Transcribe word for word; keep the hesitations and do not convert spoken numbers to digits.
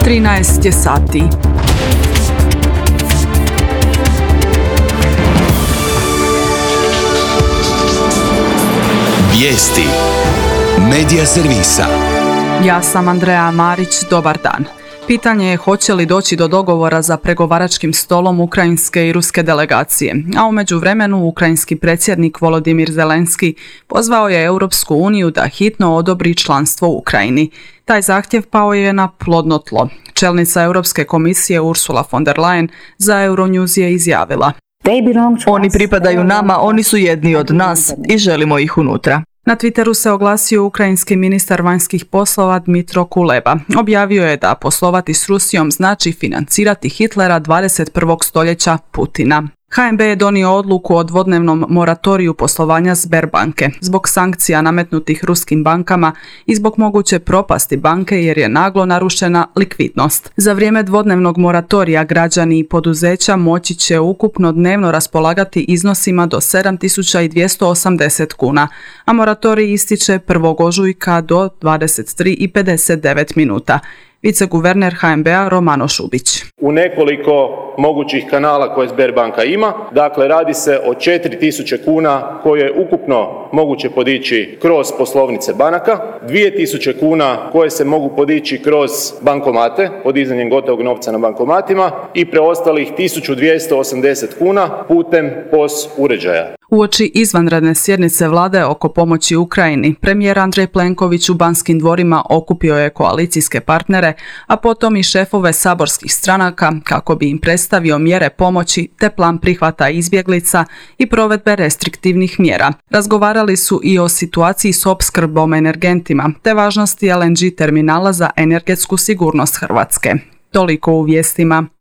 trinaest je sati. Vijesti Medija servisa. Ja sam Andreja Marić, dobar dan. Pitanje je hoće li doći do dogovora za pregovaračkim stolom ukrajinske i ruske delegacije, a u međuvremenu ukrajinski predsjednik Volodimir Zelenski pozvao je Europsku uniju da hitno odobri članstvo Ukrajini. Taj zahtjev pao je na plodno tlo. Čelnica Europske komisije Ursula von der Leyen za Euronews je izjavila: Oni pripadaju nama, oni su jedni od nas i želimo ih unutra. Na Twitteru se oglasio ukrajinski ministar vanjskih poslova Dmitro Kuleba. Objavio je da poslovati s Rusijom znači financirati Hitlera dvadeset prvog stoljeća Putina. H N B je donio odluku o dvodnevnom moratoriju poslovanja Sberbanke zbog sankcija nametnutih ruskim bankama i zbog moguće propasti banke jer je naglo narušena likvidnost. Za vrijeme dvodnevnog moratorija građani i poduzeća moći će ukupno dnevno raspolagati iznosima do sedam tisuća dvjesto osamdeset kuna, a moratorij ističe prvog ožujka do dvadeset tri i pedeset devet minuta. Viceguverner H N B-a Romano Šubić. U nekoliko mogućih kanala koje Sberbanka ima, dakle radi se o četiri tisuće kuna koje je ukupno moguće podići kroz poslovnice banaka, dvije tisuće kuna koje se mogu podići kroz bankomate, podizanjem gotovog novca na bankomatima i preostalih tisuću dvjesto osamdeset kuna putem P O S uređaja. Uoči izvanredne sjednice vlade oko pomoći Ukrajini, premijer Andrej Plenković u Banskim dvorima okupio je koalicijske partnere, a potom i šefove saborskih stranaka kako bi im predstavio mjere pomoći te plan prihvata izbjeglica i provedbe restriktivnih mjera. Razgovarali su i o situaciji s opskrbom energentima te važnosti L N G terminala za energetsku sigurnost Hrvatske. Toliko u vijestima.